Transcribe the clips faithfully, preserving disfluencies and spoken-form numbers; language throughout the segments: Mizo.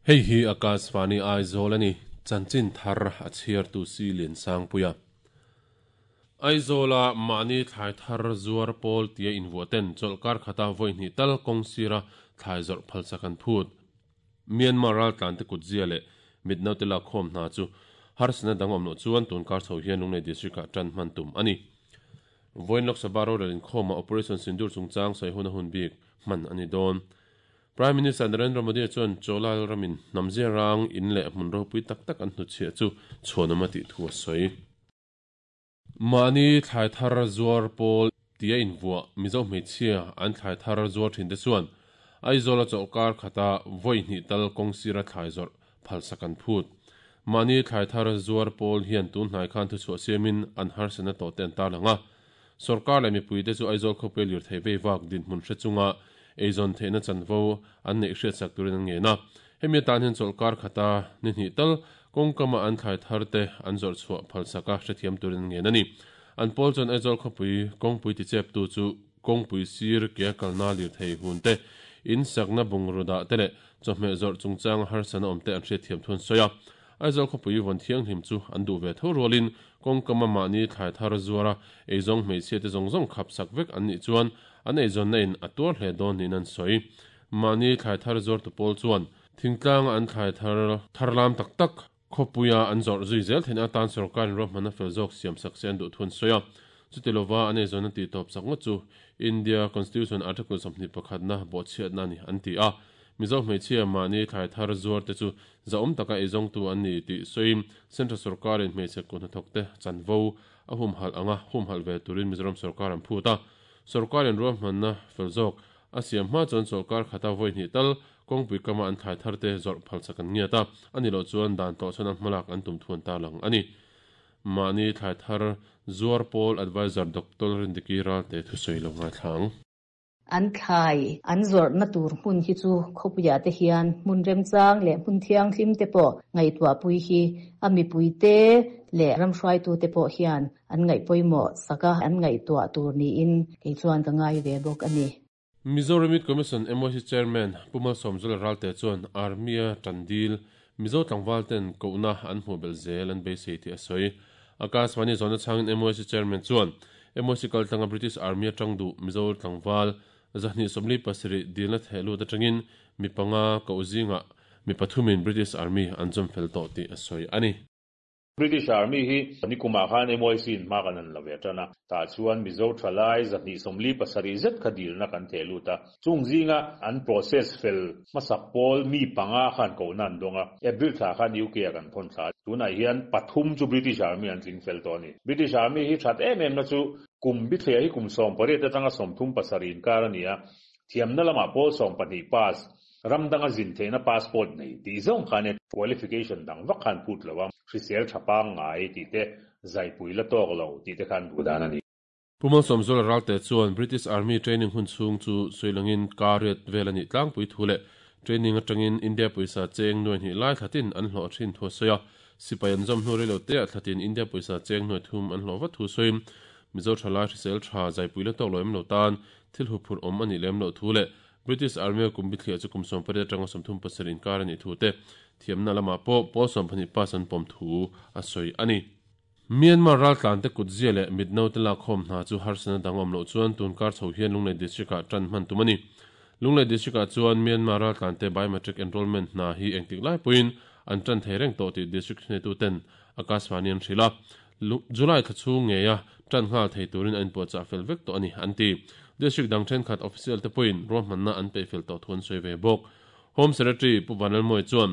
Hei hi Akashvani Aizawl ani chanchin thar a chhiar tu si lian sang puia. Aizawla mahni thlai thar zuar pawl tia invuahten chawlhkar khata vawi hnih tal kawng sira thlai zawrh phalsak an phut. Myanmar raltlan te kutzia leh mitnaute lak khawm hna chu harsatna dang awm loh chuan tunkar chho hian Lunglei district ah tan hman tum ani. Vawiin Lok Sabha rorel inkhawma Operation Sindoor chungchang sawi hun a hun bik hman ani dawn. Prime Minister Narendra Modi chuan Cholal ramin hnamzia rang in leh hmun ropui tak tak an hnuchhiah chu chhuanawm a tih thu a sawi. Mahni thlai thar zuar pawl tia invuah Mizo hmeichhia an thlai thar zuar thin te chuan Aizawla chawlhkar khata vawi hnih tal kawng sira thlai zawrh phalsak an phut. Mahni thlai thar zuar pawl hian tun hnai khan thuchhuah siamin an harsatna tawh te an tarlang a. Sorkar leh mipui te chu Aizawl khawpui lir thei vei vak dinhmun hre chunga eizawn theihna chanvo an neih hriatsak turin an ngen a. Hemi atan hian chawlhkar khata ni hnih tal kawngkama an thlai thar te an zawrh chhuah phalsaka hrethiam turin an ngen a ni. An pawl chuan Aizawl khawpui kawngpui ticheptu chu kawngpui sir ke a kalna lir thei hun te, in sakna bungraw dah te leh chawhmeh zawrh chungchanga harsatna awm te an hriatthiam thu an sawi a. Aizawl khawpui vawn thianghlim chu an duh ve tho rualin kawngkama mahni thlai thar zuara eizawng hmeichhia te zawng zawng khap sak vek an nih chuan an eizawnna in a tuar hle dawn niin an sawi. Mahni thlai thar zuartu pawl chuan thingtlanga an thlai thar thar lam tak tak khawpuia an zawrh zui zel theihna atan sorkarin ruahmanna fel zawk siam sak se an duh thu an sawi a. Chuti lova an eizawnna tih tawp sak ngawt chu India Constitution Article sawmhnih pakhatna bawhchhiatna a ni an ti a. Mizo hmeichhia mahni thlai thar zuar te chu zahawm taka eizawngtu an ni tih sawiin Central sorkarin hmeichhe kut hnathawk te chanvo a humhalh anga humhalh ve turin Mizoram sorkar an phut a. Sorkarin ruahmanna fel zawk a siam hma chuan chawlhkar khata vawi hnih tal kawngpui kama an thlai thar te zawrh phalsak an ngiat a, ani loh chuan dan tawh chhan a hmalak an tum thu an tarlang a ni. Mahni thlai thar zuar pawl advisor Doctor Rindiki Ralte thusawi lo ngaithlang. An thlai an zawrhna tur hmun hi chu khawpuiah te hian hmun remchang leh hmun thianghlim te pawh ngaihtuahpui hi a mipui te leh ramhruaitu te pawh hian an ngaihpawimawh saka an ngaihtuah tur niin kei chuan ka ngai ve bawk a ni. Mizoram Youth Commission M Y C Chairman Pu Malsawmzawla Ralte chuan Army-a Tandil Mizo tlangval ten kohna an hmuh belh zel an beisei tih a sawi. Akashvani zawhna chhangin M Y C Chairman chuan M Y C kaltlanga British Army atang duh Mizo tlangval zahnih sawmli pasarih dilna theh lut atangin mi panga koh zingah mi pathumin British Army an zawm fel tawh tih a sawi a ni. British Army hi nikumah khan M Y C in hma kan an lo ve tan a, tah chuan Mizo thalai zahnih sawmli pasarih zet kha dilna kan theh lut a. Chung zinga an process fel hmasak pawl mi panga khan kohna an dawng a, April thla khan U K ah kan thawn thla. Tunah hian pathum chu British Army an tling fel tawh a ni. British Army hi that em em na chu kum bithliah hi kum sawm pariat atanga sawmthum pasarih inkar a ni a, thiamna lamah pawl sawm pahnih pass, ramdanga zin theihna passport nei tih zawng khan e qualification dang vak khan phut lo a, hrisel tha pangngai tih te zaipui la tawk lo tih te khan duh dan a ni. Pu Malsawmzawla Ralte chuan British Army training hun chhung chu sawi kariat vel ani tlangpui thu leh training atangin India pawisa cheng nuai hnih lai thlatin an hlawh thin thu a sawi a. Sipai an zawm hnu rei lo te ah thlatin India pawisa cheng nuai thum an hlawh vat thu sawiin Mizo thalai hrisel tha zaipui la tawk lo em lo tan thil hu phur awm ani lem lo thu leh British Army kum bithliah chu kum sawm pariat atanga sawmthum pasarih inkar ani thu te thiamna lamah pawh pawl sawm pahnih pass an pawm thu a sawi a ni. Myanmar raltlan te kutzia leh mitnaute lak khawm hna chu harsatna dang awm loh chuan tunkar chho hian Lunglei district ah tan hman tum a ni. Lunglei district ah chuan Myanmar raltlan te biometric enrollment hna hi engtik lai pawhin an tan thei reng tawh tih district hnetu ten Akashvani an hril a. July thla chhung nge a tan nghal thei turin an inpuahchah fel vek tawh a ni an ti. District dang thenkhat official te pawhin ruahmanna an peih fel tawh thu an sawi ve bawk. Home Secretary Pu Vanlalmawi chuan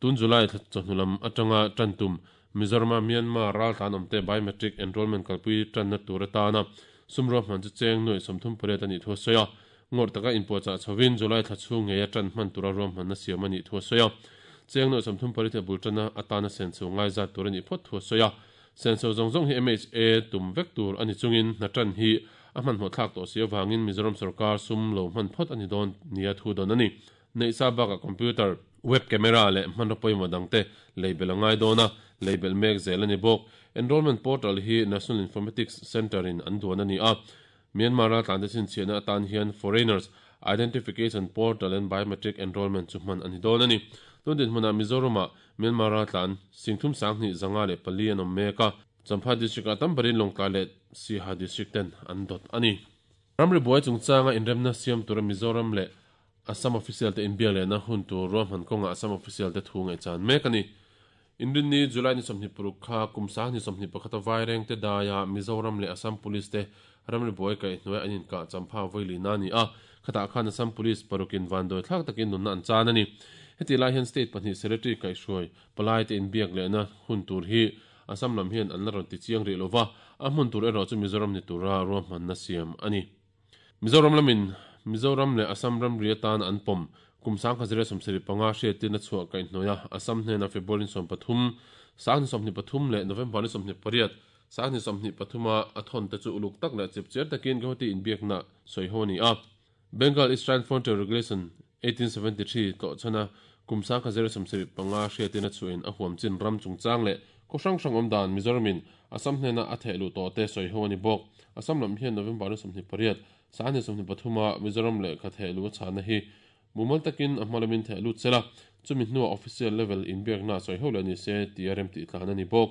tun July thla chawhnu lam atanga tan tum Mizoram Myanmar raltlan awm te biometric enrollment kalpui tanna tur atana sum ruahman chu cheng nuai sawmthum pariat ani thu a sawi a. Ngawr taka inpuahchah chhovin July thla chhung nge a tan hman tura ruahmanna siam ani thu a sawi a. Cheng nuai sawmthum pariat a bul tana atana senso ngai zat tur ani phawt thu a sawi a. Senso zawng zawng hi M H A tum vek tur ani chungin hna tan hi a hmanhmawh thlak tawh si awangin Mizoram sarkar sum lo hman phawt ani dawn nia thu dawn ani. Nei sa baka computer, web camera leh hmanraw pawimawh dang te label a ngai dawn a, label mek zel ani bawk. Enrollment portal hi National Informatics Center in an duan ani a. Myanmar raltlan te chhinchhiahna atan hian Foreigners Identification Portal and Biometric Enrollment chu hman ani dawn ani. Tundin hmuna Mizoram a Myanmar raltlan Singthum Sanghni zanga leh pali an awm mek a Champhai district ah tambarin Lawngtlai leh Siaha district ten an dawt ani. Ramri buai chungchanga inremna siam tura Mizoram leh Assam official te inbiak lehna hun tur ruahman kawnga Assam official te thu ngaihchan mek ani. Indin ni July ni sawmhnih paruk kha kum sanghnih sawmhnih pakhata vaireng te daia Mizoram leh Assam police te ramri buai kaih hnuai an inkah Champha vawi na ni a khatah khan Assam police parukin vandoi thlak takin nunna an chan ani. Heti lai hian state pahnih secretary kaihhruai palai te inbiak lehna hun tur hi Assam lam hian an la rawn ti chiang rih lova a hmun tur erawh chu Mizoram ni tura ruahmanna siam ani. Mizoram lamin Mizoram leh Assam ramri atan an pawm kum sangkhat zira sawmsarih panga hriattirna chhuah kaihhnuaia Assam hnena February sawm pathum sanghnih sawmhnih pathum leh November ni sawmhnih pariat sanghnih sawmhnih pathuma a thawn te chu uluk tak leh chipchiar takin Guwahati inbiakna sawi ho ani a. Bengal Eastern Frontier Regulation eighteen seventy-three tawh chana kum sangkhat zira sawmsarih panga hriattirna chhuahin a huam chin ram chungchang leh khaw hrang hrang awm dan Mizoramin Assam hnena a theh luh tawh te sawi ho ani bawk. Assam lam hian November ni sawmhnih pariat sanghnih sawmhnih pathuma Mizoram leh kha theh luh a chhana hi mumal takin a hmalamin theh lut sela chumi hnuah official level inbiakna sawi ho leh ni se tia rem tih tlan ani bawk.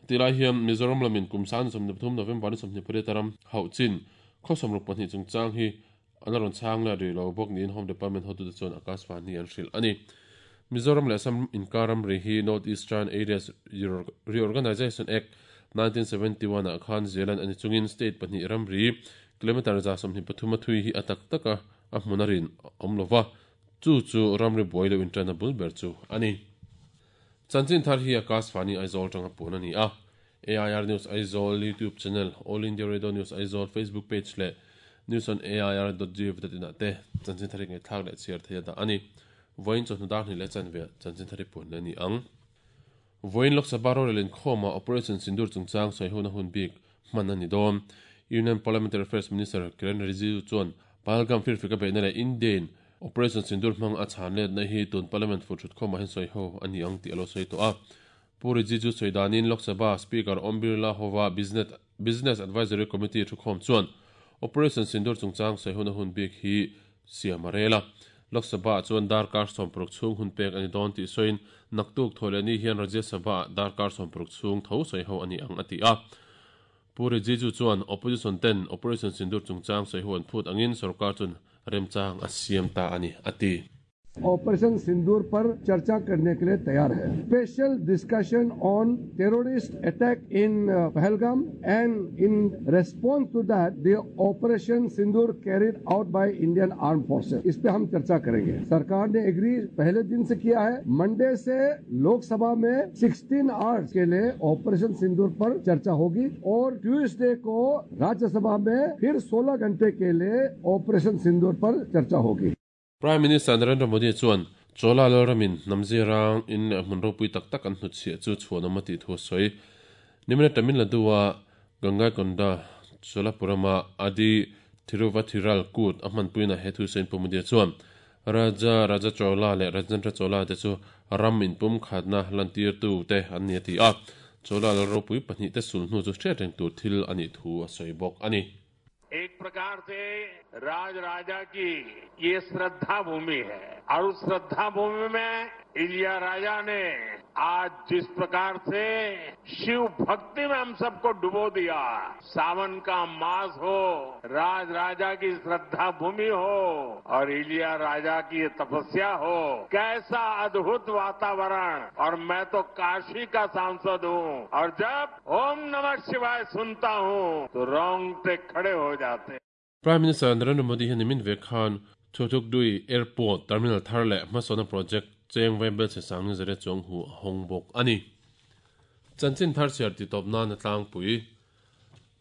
Tilai hian Mizoram lamin kum sanghnih sawmhnih pathum November ni sawmhnih pariat ram hauh chin khaw sawmruk pahnih chungchang hi an rawn chhang leh rih lo bawk niin Home Department hotute chuan Akashvani an hrilh ani. Mizoram leh Assam inkar ramri hi North Eastern Areas Reorganization Act nineteen seventy-one ah khan zealand ani chungin state pahnih ramri kilometer za sawmhnih pathum a thui hi a tak taka a hmun a rin awm lova chu chu ramri buai lo inṭanna bul ber chu ani. Chanchin thar hi Akashvani Aizawl tanga pun ani a. A I R News Aizawl YouTube channel, All India Radio News Aizawl Facebook page leh news on A I R dot gov dot in ah te chanchin thar hi ngaihthlak leh chhiar thei a dah ani. Vawiin chawhnu dar hnih leh chanve chanchin thar hi pun leh ni ang. Vawiin Lok Sabha rorel inkhawma Operation Sindoor chungchang sawi hona hun bik hman ani dawn. Union Parliamentary Affairs Minister Kiren Rijiju chuan Pahalgam firfika beihna leh Indian Operation Sindoor hmang a chhan letna hi tun Parliament fu thut khawmah hian sawi ho ani ang tih alo sawi tawh a. Pu Rijiju sawi danin Lok Sabha Speaker Om Birla hova Business Business Advisory Committee thu khawm chuan Operation Sindoor chungchang sawi hona hun bik hi siam a rel a. Lok Sabha chuan darkar sawmparuk chhung hun pek ani dawn tih sawiin naktuk thawh leh ni hian Rajya Sabha darkar sawmparuk chhung tho sawi ho ani ang a ti a. Pu Rijiju chuan opposition ten Operation Sindoor chungchang sawi ho an phut angin sarkar chuan remchang a siam ta ani a ti. Operation सिंदूर पर चर्चा करने के लिए तैयार है। Special discussion on terrorist attack in Pahalgam and in response to that the Operation Sindoor carried out by Indian arm forces, इस पे हम चर्चा करेंगे। सरकार ने एग्री पहले दिन से किया है। मंडे से लोकसभा में सोलह आवर्स के लिए ऑपरेशन सिंदूर पर चर्चा होगी और ट्यूसडे को राज्यसभा में फिर सोलह घंटे के लिए ऑपरेशन सिंदूर पर चर्चा होगी। Prime Minister Narendra Modi chuan Chola lalramin namzirang in leh hmun ropui tak tak an hnutchhiah chu chhuanawm a tih thu a sawi. Nimina Tamil Nadu-a Gangaikonda Cholapurama Adi Thiruvathiral Kut a hmanpuina he thu sawiin Pu Modi chuan Raja Raja Chola leh Rajendra Chola te chu ram inpum khatna lantir tu te an ni a ti a. Chola lalropui pahnih te sul hnu chu hriat reng tur thil ani thu a sawi bawk ani. एक प्रकार से राज राजा की ये श्रद्धा भूमि है और उस श्रद्धा भूमि में इलिया राजा ने आज जिस प्रकार से शिव भक्ति में हम सबको डुबो दिया, सावन का मास हो, राज राजा की श्रद्धा भूमि हो और इलिया राजा की ये तपस्या हो, कैसा अद्भुत वातावरण। और मैं तो काशी का सांसद हूँ और जब ओम नमः शिवाय सुनता हूँ तो रोंगटे खड़े हो जाते। Prime Minister Narendra Modi hian nimin ve khan Thuthukdui Airport Terminal thar leh hmasawna project cheng vaibel che sangni zare chuang hu a hawng bawk ani. Chanchin thar chhiar ti tawp nan a tlangpui.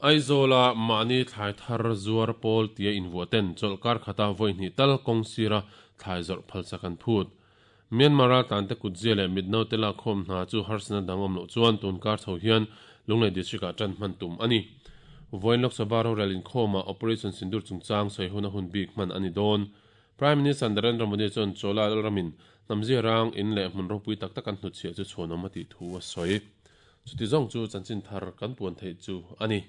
Aizawla mahni thlai thar zuar pawl tia invuah ten chawlhkar khata vawi hnih tal kawng sira thlai zawrh phalsak an phut. Myanmar raltlan te kutzia leh mitnaute lak khawm hna chu harsana dang awm loh chuan tunkar chho hian Lunglei district ah ṭan hman tum ani. Vawiin Lok Sabha rorel inkhawma Operation Sindoor chungchang sawi hona hun bik hman ani dawn. Prime Minister Narendra Modi chuan Chola lalramin namzirang in leh hmun ropui tak tak an hnutchhiah chu chhuanawm a tih thu a sawi. Chuti zawng chu chanchin thar kan puan theih chu ani.